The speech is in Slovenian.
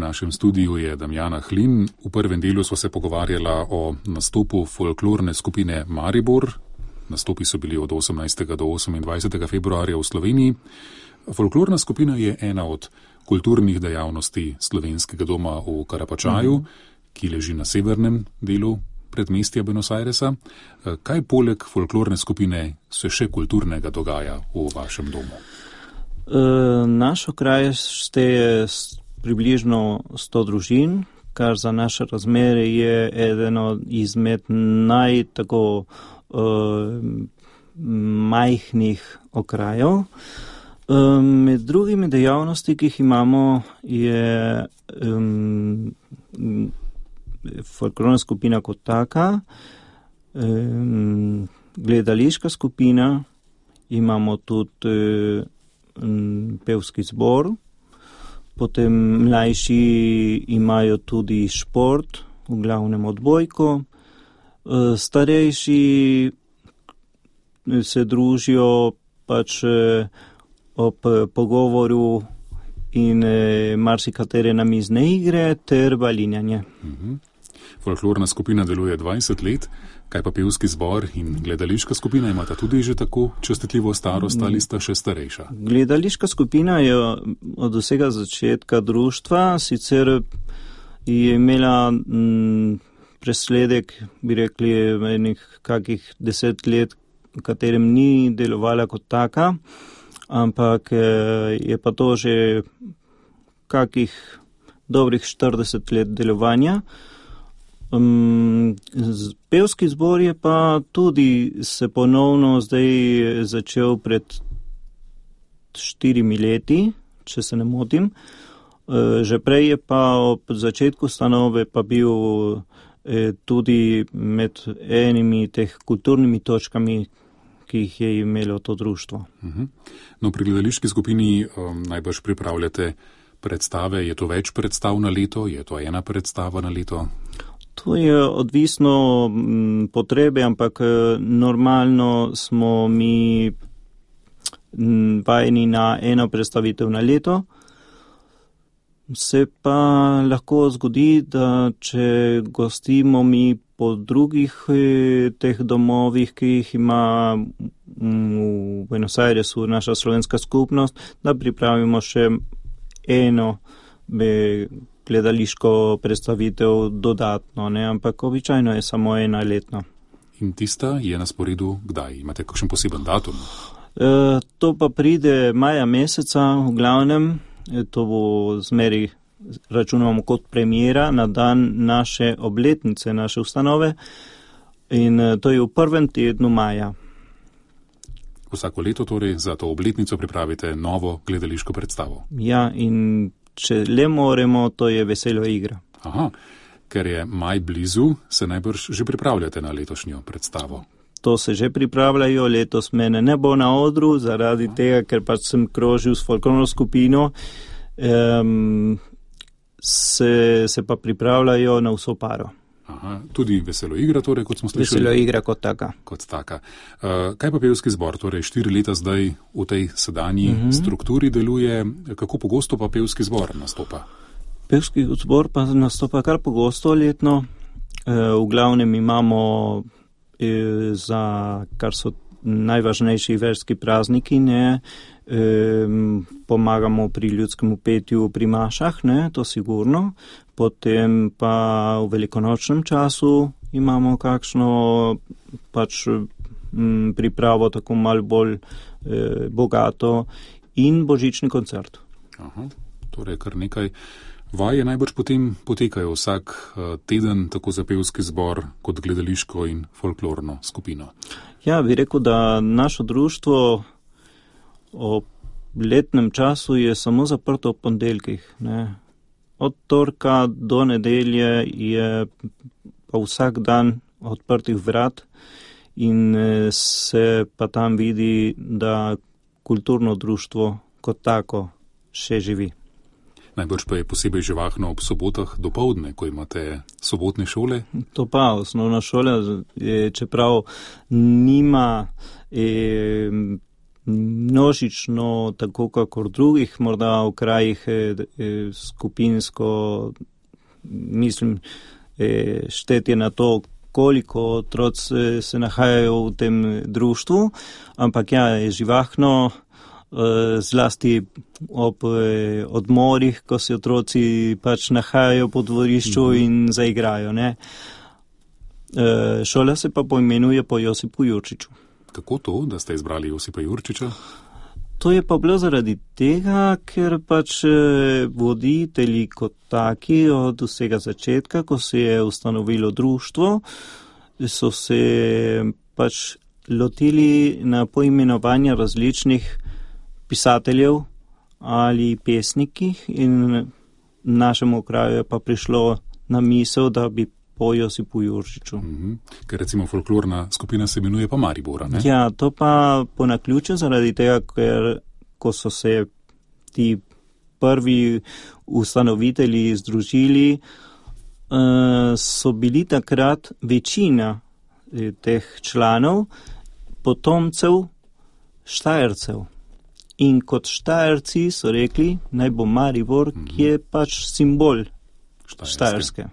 našem studiu je Damjana Hlin. V prvem delu smo se pogovarjala o nastopu folklorne skupine Maribor. Nastopi so bili od 18. do 28. februarja v Sloveniji. Folklorna skupina je ena od kulturnih dejavnosti Slovenskega doma v Karapačaju, ki leži na severnem delu predmestja Buenos Airesa. Kaj poleg folklorne skupine se še kulturnega dogaja v vašem domu? Naš okraj šteje približno 100 družin, kar za naše razmere je eden izmed majhnih okrajev. Med drugimi dejavnosti, ki jih imamo, je folklorna skupina kot taka, gledališka skupina, imamo tudi pevski zbor, potem mlajši imajo tudi šport, v glavnem odbojko, starejši se družijo pač ob pogovoru in marsikatere namizne igre ter balinjanje. Folklorna skupina deluje 20 let, kaj pa pevski zbor in gledališka skupina imata tudi že tako častitljivo starost ali sta še starejša? Gledališka skupina je od vsega začetka društva, sicer je imela presledek, bi rekli, enih kakih 10 let, v katerem ni delovala kot taka, ampak je pa to že kakih dobrih 40 let delovanja. Pevski zbor je pa tudi se ponovno zdaj začel pred 4 leti, če se ne motim. Že prej je pa ob začetku stanove pa bil tudi med enimi teh kulturnimi točkami, ki jih je imelo to društvo. No, pri gledališki skupini najbrž pripravljate predstave. Je to več predstav na leto? Je to ena predstava na leto? To je odvisno potrebe, ampak normalno smo mi vajeni na eno predstavitev na leto. Se pa lahko zgodi, da če gostimo mi po drugih teh domovih, ki jih ima v Buenos Airesu naša slovenska skupnost, da pripravimo še eno gledališko predstavitev dodatno, ne? Ampak običajno je samo ena letno. In tista je na sporedu kdaj? Imate kakšen poseben datum? To pa pride maja meseca, v glavnem. To bo zmeri, računamo kot premiera na dan naše obletnice, naše ustanove. In to je v prvem tednu maja. Vsako leto torej za to obletnico pripravite novo gledališko predstavo? Ja, in če le moremo, to je Vesela igra. Aha, ker je maj blizu, se najbrž že pripravljate na letošnjo predstavo. To se že pripravljajo, letos mene ne bo na odru, zaradi tega, ker pač sem krožil s folklorno skupino, se pa pripravljajo na vso paro. Aha, tudi Veselo igra, torej, kot smo slišali? Veselo igra kot taka. Kot taka. Kaj pa pevski zbor, torej 4 leta zdaj v tej sedanji strukturi deluje, kako pogosto pa pevski zbor nastopa? Pevski zbor pa nastopa kar pogosto letno. V glavnem imamo za kar so najvažnejši verski prazniki, ne, pomagamo pri ljudskemu petju pri mašah, ne, to sigurno. Potem pa v velikonočnem času imamo kakšno pač pripravo tako malo bolj bogato in božični koncert. Aha, torej kar nekaj vaje najbrž potem potekajo vsak teden, tako za pevski zbor kot gledališko in folklorno skupino. Ja, bi rekel, da naše društvo ob letnem času je samo zaprto ob ponedeljkih, ne. Od torka do nedelje je pa vsak dan odprtih vrat in se pa tam vidi, da kulturno društvo kot tako še živi. Najbrž pa je posebej živahno ob sobotah dopoldne, ko imate sobotne šole? To pa, osnovna šola, čeprav nima množično, tako kakor drugih, morda v krajih skupinsko, mislim, štetje na to, koliko otroci se nahajajo v tem društvu, ampak ja, je živahno, zlasti ob odmorih, ko se otroci pač nahajajo po dvorišču in zaigrajo, ne. Šola se pa poimenuje po Josipu Jurčiču. Kako to, da ste izbrali Josipa Jurčiča? To je pa bilo zaradi tega, ker pač voditelji kot taki od vsega začetka, ko se je ustanovilo društvo, so se pač lotili na poimenovanje različnih pisateljev ali pesnikih in našemu kraju je pa prišlo na misel, da bi po Josipu Jurčiču. Ker recimo folklorna skupina se imenuje pa Maribora, ne? Ja, to pa po naključju zaradi tega, ker ko so se ti prvi ustanovitelji združili, so bili takrat večina teh članov potomcev Štajercev. In kot Štajerci so rekli, naj bo Maribor, ki je pač simbol Štajerske.